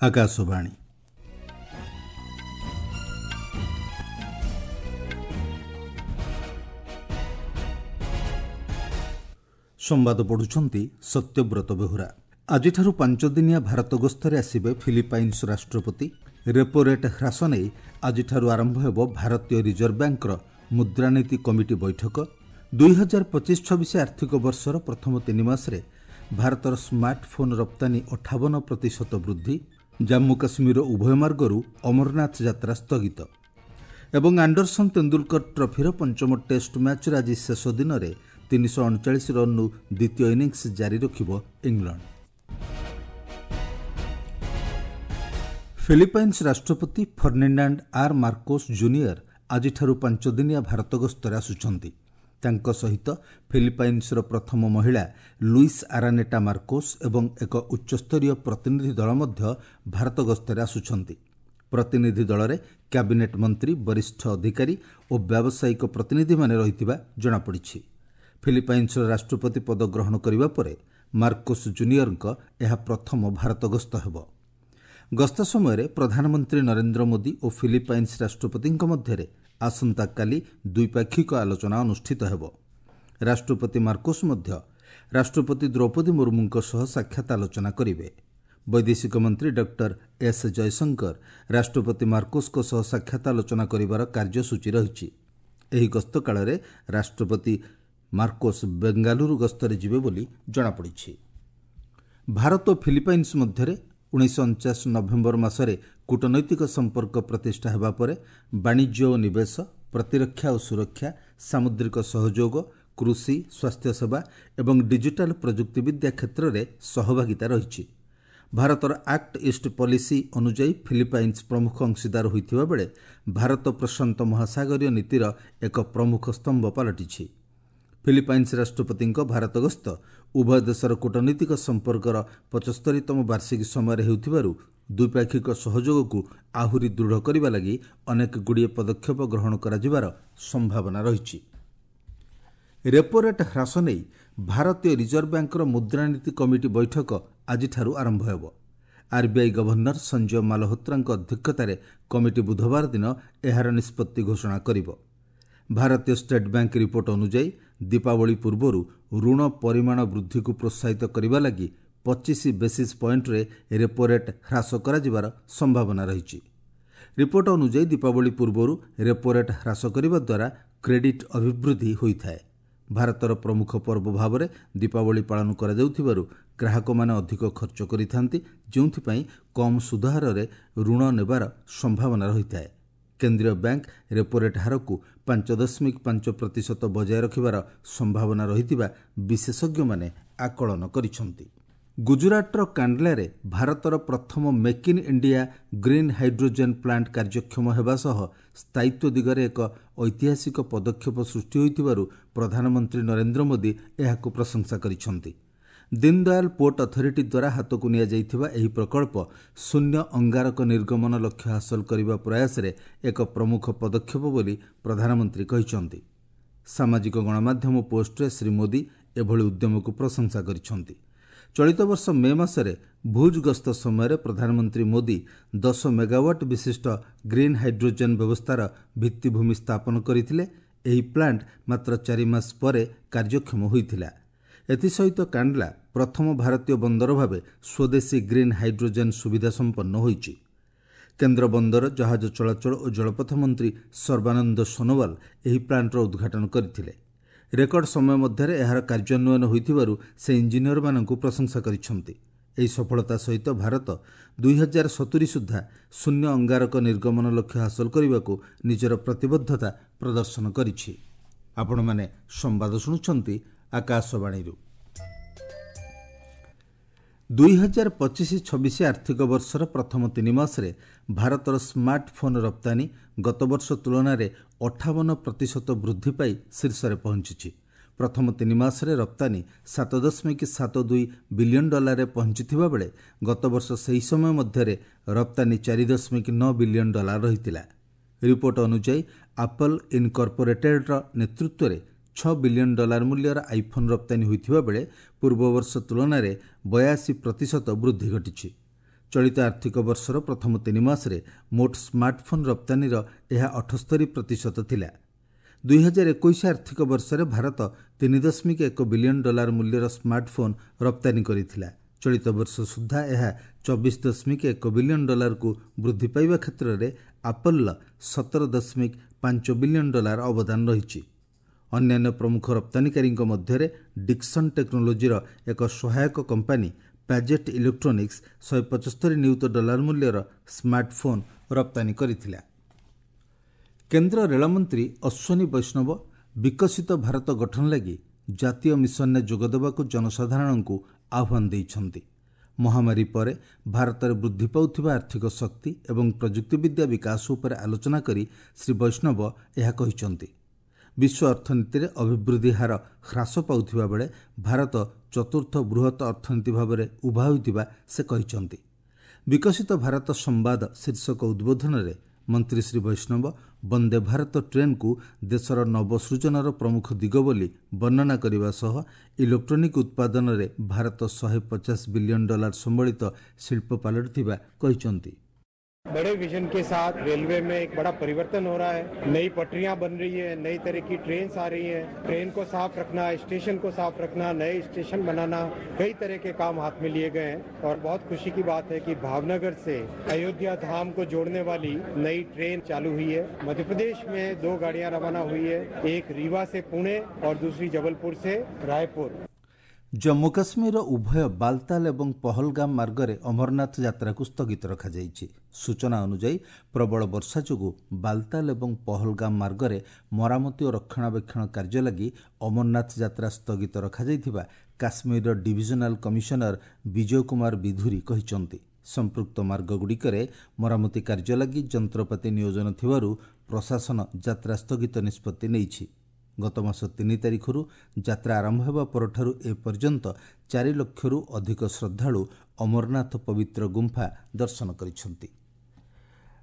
ଆକାଶବାଣୀ। ସମ୍ବାଦ ପଢ଼ୁଛନ୍ତି ସତ୍ୟବ୍ରତ ବେହୁରା। ଆଜିଠାରୁ 5 ଦିନିଆ ଭାରତ ଗସ୍ତରେ ଆସିବେ ଫିଲିପାଇନ୍ସ ରାଷ୍ଟ୍ରପତି। ରେପୋ ରେଟ୍ ହ୍ରାସ ନେଇ ଆଜିଠାରୁ ଆରମ୍ଭ ହେବ ଭାରତୀୟ ରିଜର୍ଭ ବ୍ୟାଙ୍କର ମୁଦ୍ରାନୀତି କମିଟି ବୈଠକ। 2025-26 ଆର୍ଥିକ ବର୍ଷର ପ୍ରଥମ 3 ମାସରେ ଭାରତର ସ୍ମାର୍ଟଫୋନ୍ ରପ୍ତାନୀ 58% ବୃଦ୍ଧି। ଜାମ୍ମୁ କାଶ୍ମୀରର ଉଭୟ ମାର୍ଗରୁ ଅମରନାଥ ଯାତ୍ରା ସ୍ଥଗିତ। ଏବଂ ଆଣ୍ଡରସନ୍ ତେନ୍ଦୁଲକର ଟ୍ରଫିର ପଞ୍ଚମ ଟେଷ୍ଟ ମ୍ୟାଚ୍ର ଆଜି ଶେଷ ଦିନରେ 339 ରନ୍ରୁ ଦ୍ୱିତୀୟ ଇନିଂସ ଜାରି ରଖିବ ଇଂଲଣ୍ଡ। ଫିଲିପାଇନ୍ସ ରାଷ୍ଟ୍ରପତି ଫର୍ଣ୍ଣିନାଣ୍ଡ ଆର୍ ମାର୍କୋସ୍ ଜୁନିୟର ଆଜିଠାରୁ 5 ଦିନିଆ ଭାରତ ଗସ୍ତରେ ଆସୁଛନ୍ତି। ତାଙ୍କ ସହିତ ଫିଲିପାଇନ୍ସର ପ୍ରଥମ ମହିଳା ଲୁଇସ୍ ଆରାନେଟା ମାର୍କୋସ୍ ଏବଂ ଏକ ଉଚ୍ଚସ୍ତରୀୟ ପ୍ରତିନିଧି ଦଳ ମଧ୍ୟ ଭାରତ ଗସ୍ତରେ ଆସୁଛନ୍ତି। ପ୍ରତିନିଧି ଦଳରେ କ୍ୟାବିନେଟ୍ ମନ୍ତ୍ରୀ, ବରିଷ୍ଠ ଅଧିକାରୀ ଓ ବ୍ୟାବସାୟିକ ପ୍ରତିନିଧିମାନେ ରହିଥିବା ଜଣାପଡ଼ିଛି। ଫିଲିପାଇନ୍ସର ରାଷ୍ଟ୍ରପତି ପଦ ଗ୍ରହଣ କରିବା ପରେ ମାର୍କୋସ୍ ଜୁନିୟରଙ୍କ ଏହା ପ୍ରଥମ ଭାରତ ଗସ୍ତ ହେବ। ଗସ୍ତ ସମୟରେ ପ୍ରଧାନମନ୍ତ୍ରୀ ନରେନ୍ଦ୍ର ମୋଦି ଓ ଫିଲିପାଇନ୍ସ ରାଷ୍ଟ୍ରପତିଙ୍କ ମଧ୍ୟରେ ଆସନ୍ତାକାଲି ଦ୍ୱିପାକ୍ଷିକ ଆଲୋଚନା ଅନୁଷ୍ଠିତ ହେବ। ରାଷ୍ଟ୍ରପତି ମାର୍କୋସ୍ ମଧ୍ୟ ରାଷ୍ଟ୍ରପତି ଦ୍ରୌପଦୀ ମୁର୍ମୁଙ୍କ ସହ ସାକ୍ଷାତ ଆଲୋଚନା କରିବେ। ବୈଦେଶିକ ମନ୍ତ୍ରୀ ଡକ୍ଟର ଏସ୍ ଜୟଶଙ୍କର ରାଷ୍ଟ୍ରପତି ମାର୍କୋସ୍ଙ୍କ ସହ ସାକ୍ଷାତ ଆଲୋଚନା କରିବାର କାର୍ଯ୍ୟସୂଚୀ ରହିଛି। ଏହି ଗସ୍ତ କାଳରେ ରାଷ୍ଟ୍ରପତି ମାର୍କୋସ୍ ବେଙ୍ଗାଲୁରୁ ଗସ୍ତରେ ଯିବେ ବୋଲି ଜଣାପଡ଼ିଛି। ଭାରତ ଓ ଫିଲିପାଇନ୍ସ ମଧ୍ୟରେ 1949 ନଭେମ୍ବର ମାସରେ କୂଟନୈତିକ ସମ୍ପର୍କ ପ୍ରତିଷ୍ଠା ହେବା ପରେ ବାଣିଜ୍ୟ ଓ ନିବେଶ, ପ୍ରତିରକ୍ଷା ଓ ସୁରକ୍ଷା, ସାମୁଦ୍ରିକ ସହଯୋଗ, କୃଷି, ସ୍ୱାସ୍ଥ୍ୟସେବା ଏବଂ ଡିଜିଟାଲ ପ୍ରଯୁକ୍ତିବିଦ୍ୟା କ୍ଷେତ୍ରରେ ସହଭାଗିତା ରହିଛି। ଭାରତର ଆକ୍ଟ ଇଷ୍ଟ ପଲିସି ଅନୁଯାୟୀ ଫିଲିପାଇନ୍ସ ପ୍ରମୁଖ ଅଂଶୀଦାର ହୋଇଥିବା ବେଳେ ଭାରତ ପ୍ରଶାନ୍ତ ମହାସାଗରୀୟ ନୀତିର ଏକ ପ୍ରମୁଖ ସ୍ତମ୍ଭ ପାଲଟିଛି। ଫିଲିପାଇନ୍ସ ରାଷ୍ଟ୍ରପତିଙ୍କ ଭାରତ ଗସ୍ତ ଉଭୟ ଦେଶର କୂଟନୈତିକ ସମ୍ପର୍କର 75ତମ ବାର୍ଷିକୀ ସମୟରେ ହେଉଥିବାରୁ ଦ୍ୱିପାକ୍ଷିକ ସହଯୋଗକୁ ଆହୁରି ଦୃଢ଼ କରିବା ଲାଗି ଅନେକ ଗୁଡ଼ିଏ ପଦକ୍ଷେପ ଗ୍ରହଣ କରାଯିବାର ସମ୍ଭାବନା ରହିଛି। ରେପୋ ରେଟ୍ ହ୍ରାସ ନେଇ ଭାରତୀୟ ରିଜର୍ଭ ବ୍ୟାଙ୍କର ମୁଦ୍ରାନୀତି କମିଟି ବୈଠକ ଆଜିଠାରୁ ଆରମ୍ଭ ହେବ। ଆର୍ବିଆଇ ଗଭର୍ଣ୍ଣର ସଞ୍ଜୟ ମାଲହୋତ୍ରାଙ୍କ ଅଧ୍ୟକ୍ଷତାରେ କମିଟି ବୁଧବାର ଦିନ ଏହାର ନିଷ୍ପତ୍ତି ଘୋଷଣା କରିବ। ଭାରତୀୟ ଷ୍ଟେଟ୍ ବ୍ୟାଙ୍କ ରିପୋର୍ଟ ଅନୁଯାୟୀ, ଦୀପାବଳି ପୂର୍ବରୁ ଋଣ ପରିମାଣ ବୃଦ୍ଧିକୁ ପ୍ରୋତ୍ସାହିତ କରିବା ଲାଗି 25 ବେସିସ୍ ପଏଣ୍ଟରେ ରେପୋ ରେଟ୍ ହ୍ରାସ କରାଯିବାର ସମ୍ଭାବନା ରହିଛି। ରିପୋର୍ଟ ଅନୁଯାୟୀ, ଦୀପାବଳି ପୂର୍ବରୁ ରେପୋ ରେଟ୍ ହ୍ରାସ କରିବା ଦ୍ୱାରା କ୍ରେଡିଟ୍ ଅଭିବୃଦ୍ଧି ହୋଇଥାଏ। ଭାରତର ପ୍ରମୁଖ ପର୍ବ ଭାବରେ ଦୀପାବଳି ପାଳନ କରାଯାଉଥିବାରୁ ଗ୍ରାହକମାନେ ଅଧିକ ଖର୍ଚ୍ଚ କରିଥାନ୍ତି, ଯେଉଁଥିପାଇଁ କମ୍ ସୁଧହାରରେ ଋଣ ନେବାର ସମ୍ଭାବନା ରହିଥାଏ। କେନ୍ଦ୍ରୀୟ ବ୍ୟାଙ୍କ ରେପୋ ରେଟ୍ ହାରକୁ 5.5% ବଜାୟ ରଖିବାର ସମ୍ଭାବନା ରହିଥିବା ବିଶେଷଜ୍ଞମାନେ ଆକଳନ କରିଛନ୍ତି। ଗୁଜୁରାଟର କାଣ୍ଡଲାରେ ଭାରତର ପ୍ରଥମ Make in India green hydrogen plant କାର୍ଯ୍ୟକ୍ଷମ ହେବା ସହ ସ୍ଥାୟିତ୍ୱ ଦିଗରେ ଏକ ଐତିହାସିକ ପଦକ୍ଷେପ ସୃଷ୍ଟି ହୋଇଥିବାରୁ ପ୍ରଧାନମନ୍ତ୍ରୀ ନରେନ୍ଦ୍ର ମୋଦି ଏହାକୁ ପ୍ରଶଂସା କରିଛନ୍ତି। ଦୀନଦୟାଲ ପୋର୍ଟ ଅଥରିଟି ଦ୍ୱାରା ହାତକୁ ନିଆଯାଇଥିବା ଏହି ପ୍ରକଳ୍ପ ଶୂନ୍ୟ ଅଙ୍ଗାରକ ନିର୍ଗମନ ଲକ୍ଷ୍ୟ ହାସଲ କରିବା ପ୍ରୟାସରେ ଏକ ପ୍ରମୁଖ ପଦକ୍ଷେପ ବୋଲି ପ୍ରଧାନମନ୍ତ୍ରୀ କହିଛନ୍ତି। ସାମାଜିକ ଗଣମାଧ୍ୟମ ପୋଷ୍ଟରେ ଶ୍ରୀ ମୋଦି ଏଭଳି ଉଦ୍ୟମକୁ ପ୍ରଶଂସା କରିଛନ୍ତି। ଚଳିତ ବର୍ଷ ମେ ମାସରେ ଭୁଜ୍ ଗସ୍ତ ସମୟରେ ପ୍ରଧାନମନ୍ତ୍ରୀ ମୋଦି 10 ମେଗାୱାଟ୍ ବିଶିଷ୍ଟ ଗ୍ରୀନ୍ ହାଇଡ୍ରୋଜେନ୍ ବ୍ୟବସ୍ଥାର ଭିତ୍ତିଭୂମି ସ୍ଥାପନ କରିଥିଲେ। ଏହି ପ୍ଲାଣ୍ଟ ମାତ୍ର 4 ମାସ ପରେ କାର୍ଯ୍ୟକ୍ଷମ ହୋଇଥିଲା। ଏଥିସହିତ କାଣ୍ଡଲା ପ୍ରଥମ ଭାରତୀୟ ବନ୍ଦର ଭାବେ ସ୍ୱଦେଶୀ ଗ୍ରୀନ୍ ହାଇଡ୍ରୋଜେନ୍ ସୁବିଧା ସମ୍ପନ୍ନ ହୋଇଛି। କେନ୍ଦ୍ର ବନ୍ଦର, ଜାହାଜ ଚଳାଚଳ ଓ ଜଳପଥ ମନ୍ତ୍ରୀ ସର୍ବାନନ୍ଦ ସୋନୋୱାଲ ଏହି ପ୍ଲାଣ୍ଟର ଉଦ୍ଘାଟନ କରିଥିଲେ। ରେକର୍ଡ ସମୟ ମଧ୍ୟରେ ଏହାର କାର୍ଯ୍ୟାନ୍ୱୟନ ହୋଇଥିବାରୁ ସେ ଇଞ୍ଜିନିୟରମାନଙ୍କୁ ପ୍ରଶଂସା କରିଛନ୍ତି। ଏହି ସଫଳତା ସହିତ ଭାରତ 2070 ସୁଦ୍ଧା ଶୂନ୍ୟ ଅଙ୍ଗାରକ ନିର୍ଗମନ ଲକ୍ଷ୍ୟ ହାସଲ କରିବାକୁ ନିଜର ପ୍ରତିବଦ୍ଧତା ପ୍ରଦର୍ଶନ କରିଛି। ଆପଣମାନେ ସମ୍ବାଦ ଶୁଣୁଛନ୍ତି ଆକାଶବାଣୀରୁ। 2025-26 ଆର୍ଥିକ ବର୍ଷର ପ୍ରଥମ 3 ମାସରେ ଭାରତର ସ୍ମାର୍ଟଫୋନ୍ ରପ୍ତାନୀ ଗତବର୍ଷ ତୁଳନାରେ 58% ବୃଦ୍ଧି ପାଇ ଶୀର୍ଷରେ ପହଞ୍ଚିଛି। ପ୍ରଥମ 3 ମାସରେ ରପ୍ତାନୀ 7.72 ବିଲିୟନ୍ ଡଲାରରେ ପହଞ୍ଚିଥିବା ବେଳେ ଗତବର୍ଷ ସେହି ସମୟ ମଧ୍ୟରେ ରପ୍ତାନୀ 4.9 ବିଲିୟନ୍ ଡଲାର ରହିଥିଲା। ରିପୋର୍ଟ ଅନୁଯାୟୀ, ଆପଲ୍ ଇନକର୍ପୋରେଟେଡ୍ର ନେତୃତ୍ୱରେ 6 ବିଲିୟନ୍ ଡଲାର ମୂଲ୍ୟର ଆଇଫୋନ୍ ରପ୍ତାନୀ ହୋଇଥିବା ବେଳେ ପୂର୍ବବର୍ଷ ତୁଳନାରେ 82% ବୃଦ୍ଧି ଘଟିଛି। ଚଳିତ ଆର୍ଥିକ ବର୍ଷର ପ୍ରଥମ 3 ମାସରେ ମୋଟ ସ୍ମାର୍ଟଫୋନ୍ ରପ୍ତାନୀର ଏହା 78% ଥିଲା। 2021 ଆର୍ଥିକ ବର୍ଷରେ ଭାରତ 3.1 ବିଲିୟନ୍ ଡଲାର ମୂଲ୍ୟର ସ୍ମାର୍ଟଫୋନ୍ ରପ୍ତାନୀ କରିଥିଲା। ଚଳିତ ବର୍ଷ ସୁଦ୍ଧା ଏହା 24.1 ବିଲିୟନ୍ ଡଲାରକୁ ବୃଦ୍ଧି ପାଇବା କ୍ଷେତ୍ରରେ ଆପଲ୍ର 17.5 ବିଲିୟନ୍ ଡଲାର ଅବଦାନ ରହିଛି। ଅନ୍ୟାନ୍ୟ ପ୍ରମୁଖ ରପ୍ତାନୀକାରୀଙ୍କ ମଧ୍ୟରେ ଡିକ୍ସନ୍ ଟେକ୍ନୋଲୋଜିର ଏକ ସହାୟକ କମ୍ପାନୀ ପ୍ୟାଜେଟ୍ ଇଲେକ୍ଟ୍ରୋନିକ୍ସ 175 ନିୟୁତ ଡଲାର ମୂଲ୍ୟର ସ୍ମାର୍ଟଫୋନ୍ ରପ୍ତାନୀ କରିଥିଲା। କେନ୍ଦ୍ର ରେଳମନ୍ତ୍ରୀ ଅଶ୍ୱିନୀ ବୈଷ୍ଣବ ବିକଶିତ ଭାରତ ଗଠନ ଲାଗି ଜାତୀୟ ମିଶନରେ ଯୋଗଦେବାକୁ ଜନସାଧାରଣଙ୍କୁ ଆହ୍ୱାନ ଦେଇଛନ୍ତି। ମହାମାରୀ ପରେ ଭାରତରେ ବୃଦ୍ଧି ପାଉଥିବା ଆର୍ଥିକ ଶକ୍ତି ଏବଂ ପ୍ରଯୁକ୍ତିବିଦ୍ୟା ବିକାଶ ଉପରେ ଆଲୋଚନା କରି ଶ୍ରୀ ବୈଷ୍ଣବ ଏହା କହିଛନ୍ତି। ବିଶ୍ୱ ଅର୍ଥନୀତିରେ ଅଭିବୃଦ୍ଧି ହାର ହ୍ରାସ ପାଉଥିବା ବେଳେ ଭାରତ ଚତୁର୍ଥ ବୃହତ୍ ଅର୍ଥନୀତି ଭାବରେ ଉଭା ହୋଇଥିବା ସେ କହିଛନ୍ତି। ବିକଶିତ ଭାରତ ସମ୍ବାଦ ଶୀର୍ଷକ ଉଦ୍ବୋଧନରେ ମନ୍ତ୍ରୀ ଶ୍ରୀ ବୈଷ୍ଣବ ବନ୍ଦେ ଭାରତ ଟ୍ରେନ୍କୁ ଦେଶର ନବସୃଜନର ପ୍ରମୁଖ ଦିଗ ବୋଲି ବର୍ଣ୍ଣନା କରିବା ସହ ଇଲେକ୍ଟ୍ରୋନିକ୍ ଉତ୍ପାଦନରେ ଭାରତ 150 ବିଲିୟନ୍ ଡଲାର ସମ୍ବଳିତ ଶିଳ୍ପ ପାଲଟିଥିବା କହିଛନ୍ତି। बड़े विजन के साथ रेलवे में एक बड़ा परिवर्तन हो रहा है। नई पटरियां बन रही है, नई तरह की ट्रेन आ रही हैं। ट्रेन को साफ रखना, स्टेशन को साफ रखना, नए स्टेशन बनाना, कई तरह के काम हाथ में लिए गए हैं। और बहुत खुशी की बात है कि भावनगर से अयोध्या धाम को जोड़ने वाली नई ट्रेन चालू हुई है। मध्य प्रदेश में 2 गाड़ियां रवाना हुई है, एक रीवा से पुणे और दूसरी जबलपुर से रायपुर। ଜମ୍ମୁ କାଶ୍ମୀରର ଉଭୟ ବାଲତାଲ ଏବଂ ପହଲଗାମ ମାର୍ଗରେ ଅମରନାଥ ଯାତ୍ରାକୁ ସ୍ଥଗିତ ରଖାଯାଇଛି। ସୂଚନା ଅନୁଯାୟୀ ପ୍ରବଳ ବର୍ଷା ଯୋଗୁଁ ବାଲତାଲ ଏବଂ ପହଲଗାମ ମାର୍ଗରେ ମରାମତି ଓ ରକ୍ଷଣାବେକ୍ଷଣ କାର୍ଯ୍ୟ ଲାଗି ଅମରନାଥ ଯାତ୍ରା ସ୍ଥଗିତ ରଖାଯାଇଥିବା କାଶ୍ମୀରର ଡିଭିଜନାଲ କମିଶନର ବିଜୟ କୁମାର ବିଧୁରୀ କହିଛନ୍ତି। ସମ୍ପୃକ୍ତ ମାର୍ଗଗୁଡ଼ିକରେ ମରାମତି କାର୍ଯ୍ୟ ଲାଗି ଯନ୍ତ୍ରପାତି ନିୟୋଜନ ଥିବାରୁ ପ୍ରଶାସନ ଯାତ୍ରା ସ୍ଥଗିତ ନିଷ୍ପତ୍ତି ନେଇଛି। ଗତ ମାସ 3 ତାରିଖରୁ ଯାତ୍ରା ଆରମ୍ଭ ହେବା ପରଠାରୁ ଏପର୍ଯ୍ୟନ୍ତ 4 ଲକ୍ଷରୁ ଅଧିକ ଶ୍ରଦ୍ଧାଳୁ ଅମରନାଥ ପବିତ୍ର ଗୁମ୍ଫା ଦର୍ଶନ କରିଛନ୍ତି।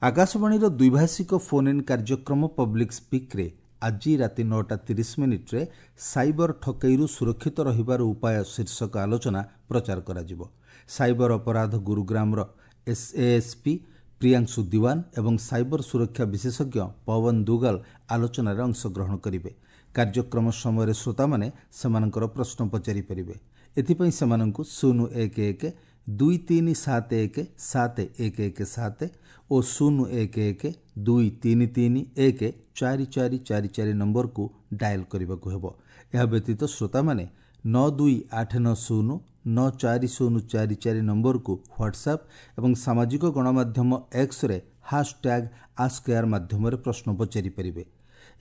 ଆକାଶବାଣୀର ଦ୍ୱିଭାଷିକ ଫୋନ୍ ଇନ୍ କାର୍ଯ୍ୟକ୍ରମ ପବ୍ଲିକ୍ ସ୍ପିକ୍ରେ ଆଜି ରାତି 9ଟା 30 ମିନିଟ୍ରେ ସାଇବର ଠକେଇରୁ ସୁରକ୍ଷିତ ରହିବାର ଉପାୟ ଶୀର୍ଷକ ଆଲୋଚନା ପ୍ରଚାର କରାଯିବ। ସାଇବର ଅପରାଧ ଗୁରୁଗ୍ରାମର ଏସ୍ଏଏସ୍ପି ପ୍ରିୟାଂଶୁ ଦିୱାନ ଏବଂ ସାଇବର ସୁରକ୍ଷା ବିଶେଷଜ୍ଞ ପୱନ ଦୁଗଲ ଆଲୋଚନାରେ ଅଂଶଗ୍ରହଣ କରିବେ। କାର୍ଯ୍ୟକ୍ରମ ସମୟରେ ଶ୍ରୋତାମାନେ ସେମାନଙ୍କର ପ୍ରଶ୍ନ ପଚାରିପାରିବେ। ଏଥିପାଇଁ ସେମାନଙ୍କୁ 011 2371 7117 ଓ 011 2331 4444 ନମ୍ବରକୁ ଡାଏଲ୍ କରିବାକୁ ହେବ। ଏହା ବ୍ୟତୀତ ଶ୍ରୋତାମାନେ 9289094044 ନମ୍ବରକୁ ହ୍ୱାଟ୍ସଆପ୍ ଏବଂ ସାମାଜିକ ଗଣମାଧ୍ୟମ ଏକ୍ସରେ ହାସ୍ ଟ୍ୟାଗ୍ ଆସ୍କ ଏଆଇଆର୍ ମାଧ୍ୟମରେ ପ୍ରଶ୍ନ ପଚାରିପାରିବେ।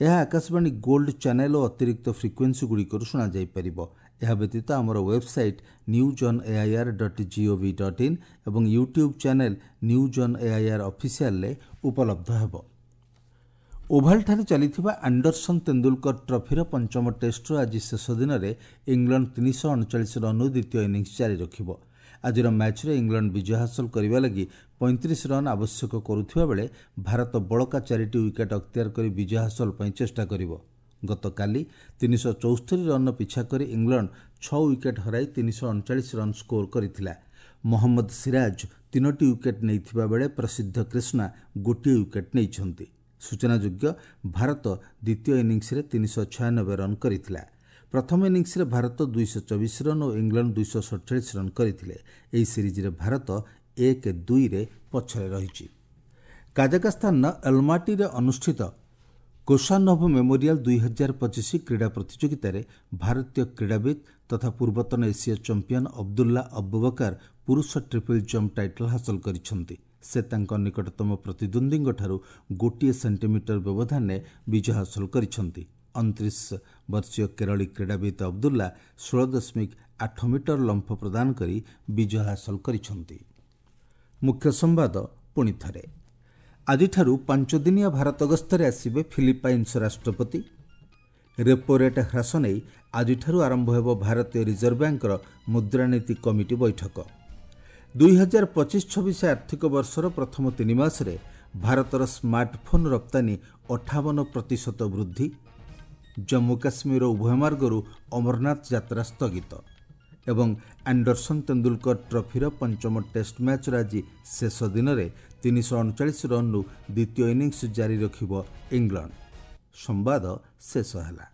ଏହା ଆକାଶବାଣୀ ଗୋଲ୍ଡ ଚ୍ୟାନେଲ୍ ଓ ଅତିରିକ୍ତ ଫ୍ରିକ୍ୱେନ୍ସିଗୁଡ଼ିକରୁ ଶୁଣାଯାଇପାରିବ। ଏହା ବ୍ୟତୀତ ଆମର ୱେବସାଇଟ୍ newsonair.gov.in ଏବଂ YouTube channel news on AIR ଅଫିସିଆଲରେ ଉପଲବ୍ଧ ହେବ। ଓଭାଲଠାରେ ଚାଲିଥିବା ଆଣ୍ଡରସନ୍ ତେନ୍ଦୁଲକର ଟ୍ରଫିର ପଞ୍ଚମ ଟେଷ୍ଟର ଆଜି ଶେଷ ଦିନରେ ଇଂଲଣ୍ଡ 339 ରନ୍ରୁ ଦ୍ୱିତୀୟ ଇନିଂସ ଜାରି ରଖିବ। ଆଜିର ମ୍ୟାଚ୍ରେ ଇଂଲଣ୍ଡ ବିଜୟ ହାସଲ କରିବା ଲାଗି 35 ରନ୍ ଆବଶ୍ୟକ କରୁଥିବା ବେଳେ ଭାରତ ବଳକା ଚାରିଟି ୱିକେଟ୍ ଅକ୍ତିଆର କରି ବିଜୟ ହାସଲ ପାଇଁ ଚେଷ୍ଟା କରିବ। ଗତକାଲି 374 ରନ୍ର ପିଛା କରି ଇଂଲଣ୍ଡ 6 ୱିକେଟ୍ ହରାଇ 339 ରନ୍ ସ୍କୋର କରିଥିଲା। ମହମ୍ମଦ ସିରାଜ ତିନୋଟି ୱିକେଟ୍ ନେଇଥିବା ବେଳେ ପ୍ରସିଦ୍ଧ କ୍ରିଷ୍ଣା ଗୋଟିଏ ୱିକେଟ୍ ନେଇଛନ୍ତି। ସୂଚନାଯୋଗ୍ୟ, ଭାରତ ଦ୍ୱିତୀୟ ଇନିଂସରେ 396 ରନ୍ କରିଥିଲା। ପ୍ରଥମ ଇନିଂସରେ ଭାରତ 224 ରନ୍ ଓ ଇଂଲଣ୍ଡ 247 ରନ୍ କରିଥିଲେ। ଏହି ସିରିଜ୍ରେ ଭାରତ 1-2ରେ ପଛରେ ରହିଛି। କାଜାକସ୍ତାନର ଅଲ୍ମାଟିରେ ଅନୁଷ୍ଠିତ କୋସାନୋଭ ମେମୋରିଆଲ 2025 କ୍ରୀଡ଼ା ପ୍ରତିଯୋଗିତାରେ ଭାରତୀୟ କ୍ରୀଡ଼ାବିତ୍ ତଥା ପୂର୍ବତନ ଏସୀୟ ଚାମ୍ପିୟନ ଅବଦୁଲ୍ଲା ଅବୁବକର ପୁରୁଷ ଟ୍ରିପଲ୍ ଜମ୍ପ ଟାଇଟଲ୍ ହାସଲ କରିଛନ୍ତି। ସେ ତାଙ୍କ ନିକଟତମ ପ୍ରତିଦ୍ୱନ୍ଦ୍ୱୀଙ୍କଠାରୁ 1 ସେଣ୍ଟିମିଟର ବ୍ୟବଧାନରେ ବିଜୟ ହାସଲ କରିଛନ୍ତି। 29 ବର୍ଷୀୟ କେରଳୀ କ୍ରୀଡ଼ାବିତ୍ ଅବଦୁଲ୍ଲା 16.8 ମିଟର ଲମ୍ଫ ପ୍ରଦାନ କରି ବିଜୟ ହାସଲ କରିଛନ୍ତି। ମୁଖ୍ୟ ସମ୍ବାଦ ପୁଣି ଥରେ। ଆଜିଠାରୁ 5 ଦିନିଆ ଭାରତ ଗସ୍ତରେ ଆସିବେ ଫିଲିପାଇନ୍ସ ରାଷ୍ଟ୍ରପତି। ରେପୋ ରେଟ୍ ହ୍ରାସ ନେଇ ଆଜିଠାରୁ ଆରମ୍ଭ ହେବ ଭାରତୀୟ ରିଜର୍ଭ ବ୍ୟାଙ୍କର ମୁଦ୍ରାନୀତି କମିଟି ବୈଠକ। 2025-26 ଆର୍ଥିକ ବର୍ଷର ପ୍ରଥମ 3 ମାସରେ ଭାରତର ସ୍ମାର୍ଟଫୋନ୍ ରପ୍ତାନୀ 58% ବୃଦ୍ଧି। ଜମ୍ମୁ କାଶ୍ମୀର ଉଭୟ ମାର୍ଗରୁ ଅମରନାଥ ଯାତ୍ରା ସ୍ଥଗିତ ଏବଂ ଆଣ୍ଡରସନ୍ ତେନ୍ଦୁଲକର ଟ୍ରଫିର ପଞ୍ଚମ ଟେଷ୍ଟ ମ୍ୟାଚ୍ର ଆଜି ଶେଷ ଦିନରେ 339 ରନ୍ରୁ ଦ୍ୱିତୀୟ ଇନିଂସ ଜାରି ରଖିବ ଇଂଲଣ୍ଡ। ସମ୍ବାଦ ଶେଷ ହେଲା।